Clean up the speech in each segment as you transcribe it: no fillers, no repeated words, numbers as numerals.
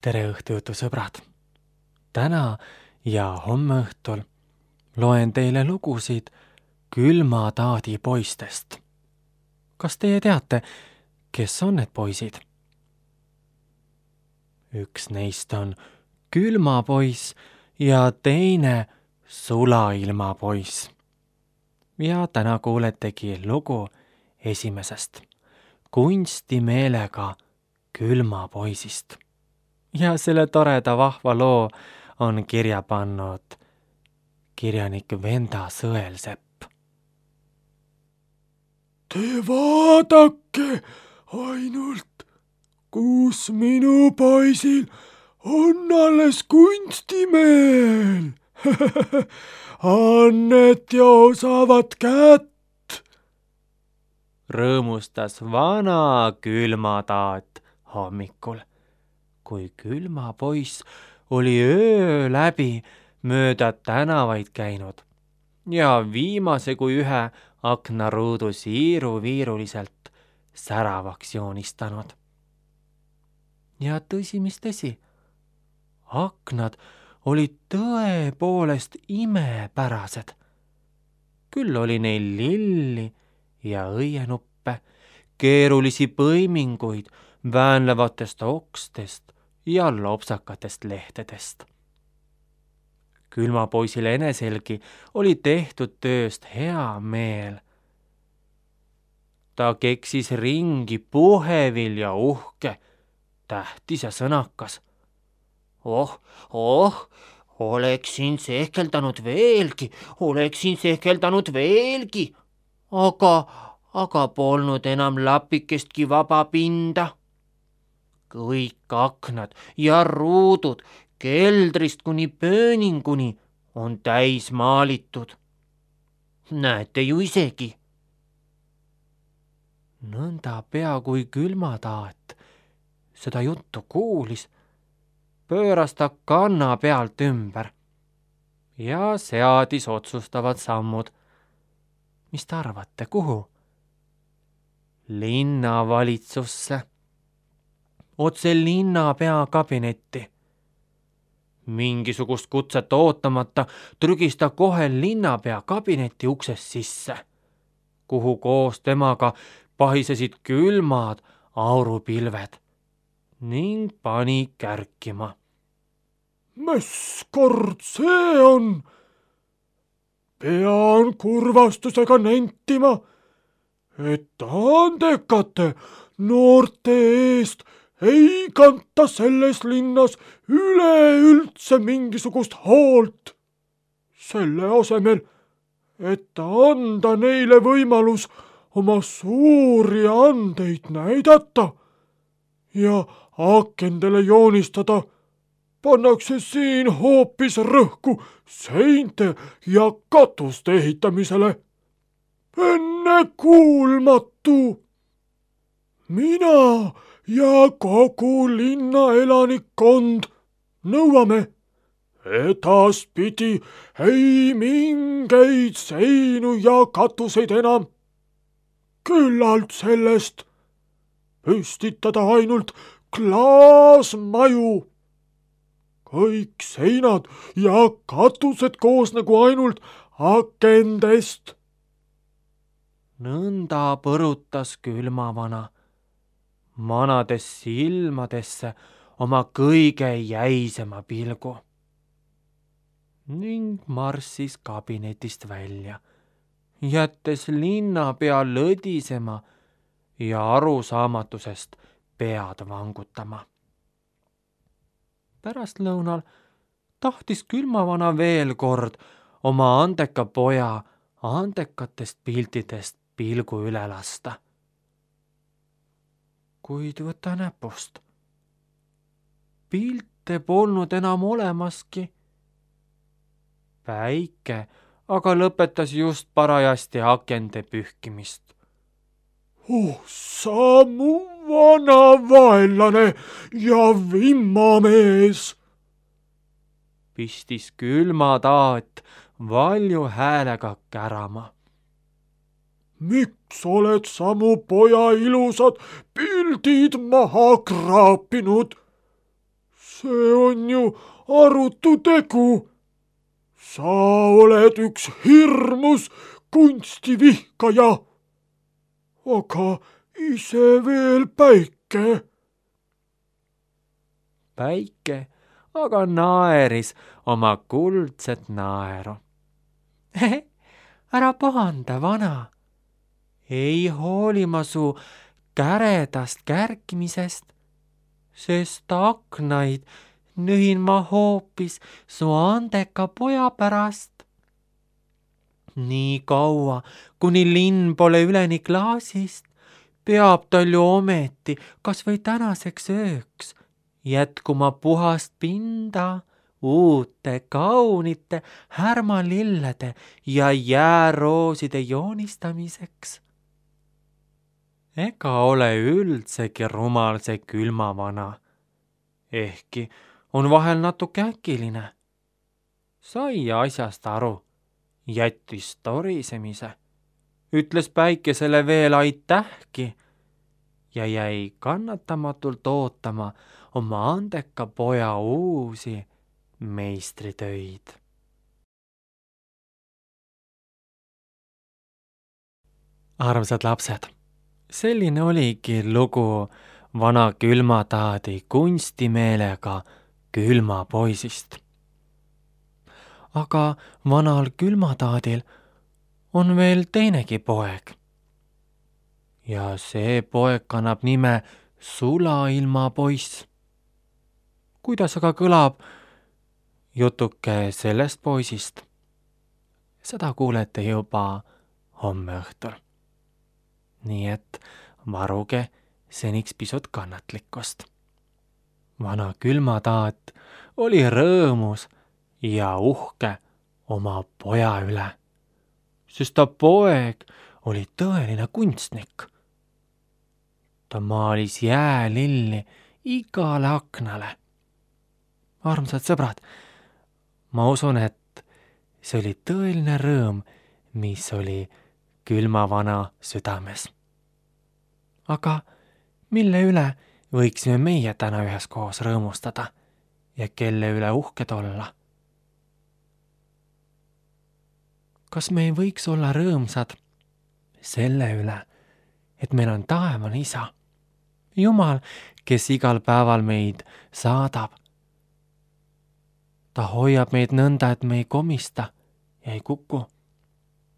tere õhtu, sõbrad! Täna ja homme õhtul loen teile lugusid külmataadi poistest. Kas teie teate, kes on need poisid? Üks neist on külmapoiss ja teine sulailmapoiss. Ja täna kuuletegi lugu esimesest, kunstimeelega külmapoisist. Ja selle toreda vahva loo on kirja pannud kirjanik Venda Sõelsepp. Te vaadake ainult, kus minu poisil on alles kunstimeel. Annet ja osavat kätt. Rõõmustas vana külmataat hommikul, kui külmapoiss oli öö läbi mööda tänavaid käinud ja viimase kui ühe aknaruudu siiruviiruliselt säravaks joonistanud. Ja tõsi, mis tõsi, aknad olid tõepoolest imepärased. Küll oli neil lilli ja õienuppe, keerulisi põiminguid väänlevatest okstest ja lopsakatest lehtedest. Külmapoisil eneselgi oli tehtud tööst hea meel. Ta keksis ringi puhevil ja uhke, tähtis ja sõnakas. Oleksin sehkeldanud veelgi, aga polnud enam lapikestki vaba pinda. Kõik aknad ja ruudud keldrist kuni pööninguni on täis maalitud. Näete ju isegi. Nõnda pea kui külmataat seda juttu kuulis, pööras ta kanna pealt ümber ja seadis otsustavad sammud. Mis te arvate, kuhu? Linnavalitsusse. Otse linnapea kabinetti. Mingisugust kutset ootamata trügis ta kohe linnapea kabineti uksest sisse, kuhu koos temaga pahisesid külmad aurupilved ning pani kärkima. Mis kord see on? Pean kurvastusega nentima, et andekate noorte eest ei kanta selles linnas üleüldse mingisugust hoolt. Selle asemel, et anda neile võimalus oma suuri andeid näidata ja akendele joonistada, pannakse siin hoopis rõhku seinte ja katuste ehitamisele. Ennekuulmatu! Mina ja kogu linna elanikkond nõuame edaspidi ei mingeid seinu ja katuseid enam. Küllalt sellest püstitada ainult klaasmaju. Kõik seinad ja katused koosnegu ainult akendest. Nõnda põrutas külmavana, manades silmadesse oma kõige jäisema pilgu ning marssis kabinetist välja, jättes linnapea lõdisema ja arusaamatusest pead vangutama. Pärastlõunal tahtis külmavana veel kord oma andeka poja andekatest piltidest pilgu üle lasta. Kuid võta näpust. Pilte polnud enam olemaski. Päike aga lõpetas just parajasti akende pühkimist. Sa mu vana vaenlane ja vimmamees! Pistis külmataat valju häälega kärama. Miks oled sa mu poja ilusad pildid maha kraapinud? see on ju arutu tegu. Sa oled üks hirmus kunstivihkaja, aga ise veel päike. Päike aga naeris oma kuldset naeru. Ära pahanda, vana. Ei hooli ma su käredast kärkimisest, sest aknaid nühin ma hoopis su andeka poja pärast. Nii kaua, kuni linn pole üleni klaasist, peab tal ju ometi kas või tänaseks ööks jätkuma puhast pinda uute kaunite härmalillede ja jäärooside joonistamiseks. Ega ole üldsegi rumal see külmavana, ehkki on vahel natuke äkiline. Sai asjast aru, jättis torisemise, ütles päikesele veel aitähki ja jäi kannatamatult ootama oma andeka poja uusi meistritöid. Armsad lapsed, selline oligi lugu vana külmataadi kunstimeelega külmapoisist. Aga vanal külmataadil on veel teinegi poeg. Ja see poeg kannab nime Sulailmapoiss. Kuidas aga kõlab jutuke sellest poisist? Seda kuulete juba homme õhtul. Nii et varuge seniks pisut kannatlikkust. Vana külmataat oli rõõmus ja uhke oma poja üle, sest ta poeg oli tõeline kunstnik. Ta maalis jäälilli igale aknale. Armsad sõbrad, ma usun, et see oli tõeline rõõm, mis oli külmavana südames. Aga mille üle võiksime meie täna üheskoos rõõmustada ja kelle üle uhked olla? Kas me ei võiks olla rõõmsad selle üle, et meil on taevane isa, Jumal, kes igal päeval meid saadab? Ta hoiab meid nõnda, et me ei komista ja ei kuku.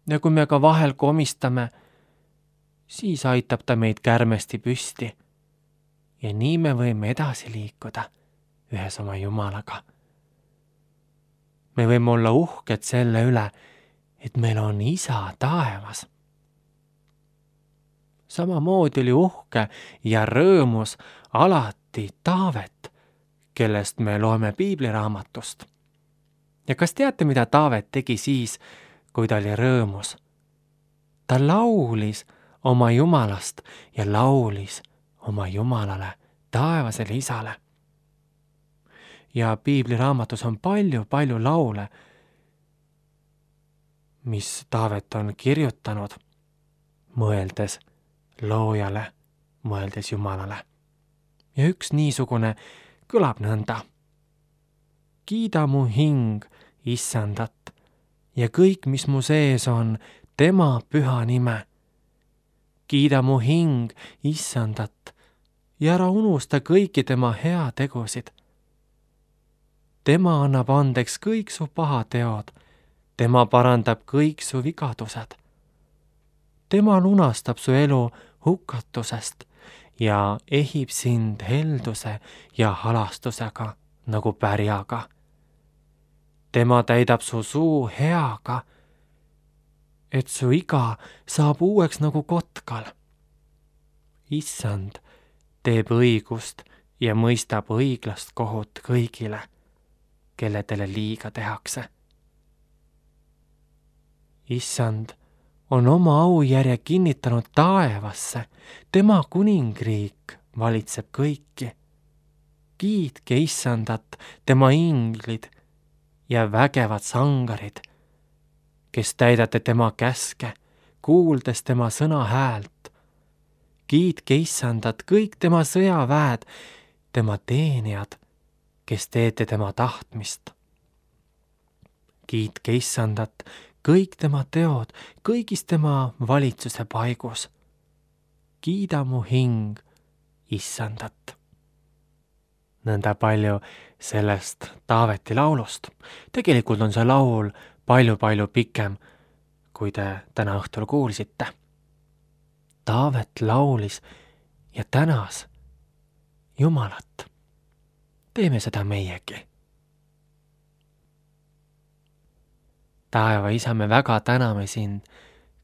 Ja kui me ka vahel komistame, siis aitab ta meid kärmesti püsti. Ja nii me võime edasi liikuda ühes oma Jumalaga. Me võime olla uhked selle üle, et meil on isa taevas. Samamoodi oli uhke ja rõõmus alati Taavet, kellest me loeme piibliraamatust. Ja kas teate, mida Taavet tegi siis, kui ta oli rõõmus? Ta laulis oma Jumalast ja laulis oma Jumalale, taevasele isale. Ja piibliraamatus on palju laule, mis Taavet on kirjutanud, mõeldes loojale, mõeldes Jumalale. Ja üks niisugune kõlab nõnda. Kiida mu hing Issandat ja kõik, mis mu sees on, tema püha nime. Kiida mu hing Issandat ja ära unusta kõiki tema heategusid. Tema annab andeks kõik su pahateod, tema parandab kõik su vigadused. Tema lunastab su elu hukatusest ja ehib sind helduse ja halastusega nagu pärjaga. Tema täidab su suu heaga, et su iga saab uueks nagu kotkal. Issand teeb õigust ja mõistab õiglast kohut kõigile, kelle talle liiga tehakse. Issand on oma aujärje kinnitanud taevasse, tema kuningriik valitseb kõiki. Kiitke Issandat, tema inglid ja vägevad sangarid, kes täidate tema käske, kuuldes tema sõna häält. Kiitke Issandat kõik tema sõjaväed, tema teenijad, kes teete tema tahtmist. Kiitke Issandat, kõik tema teod, kõigis tema valitsuse paigus. Kiida mu hing Issandat. Nõnda palju sellest Taaveti laulust. Tegelikult on see laul palju pikem, kui te täna õhtul kuulsite. Taavet laulis ja tänas Jumalat. Teeme seda meiegi. Taeva Isa, me väga täname sind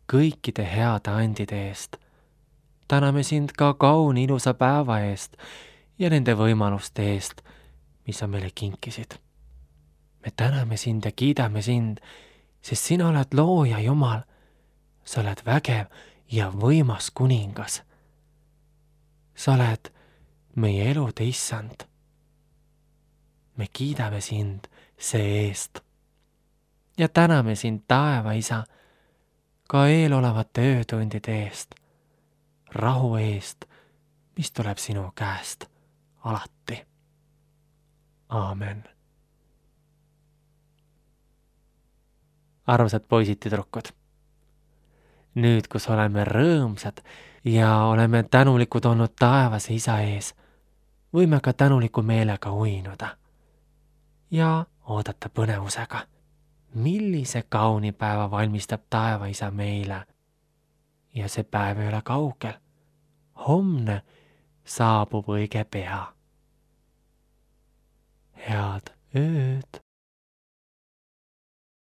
kõikide heade andide eest. Täname sind ka kauni ilusa päeva eest ja nende võimaluste eest, mis sa meile kinkisid. Me täname sind ja kiidame sind, sest sina oled looja Jumal. Sa oled vägev ja võimas kuningas. Sa oled meie elude Issand. Me kiidame sind see eest. Ja täname sind, Taeva Isa, ka eelolevate öötundide eest, rahu eest, mis tuleb sinu käest alati. Aamen. Armsad poisid ja tüdrukud, nüüd, kus oleme rõõmsad ja oleme tänulikud olnud taevase Isa ees, võime ka tänuliku meelega uinuda ja oodata põnevusega, millise kauni päeva valmistab Taeva Isa meile. Ja see päev ei ole kaugel. Homne saabub õige pea. Head ööd!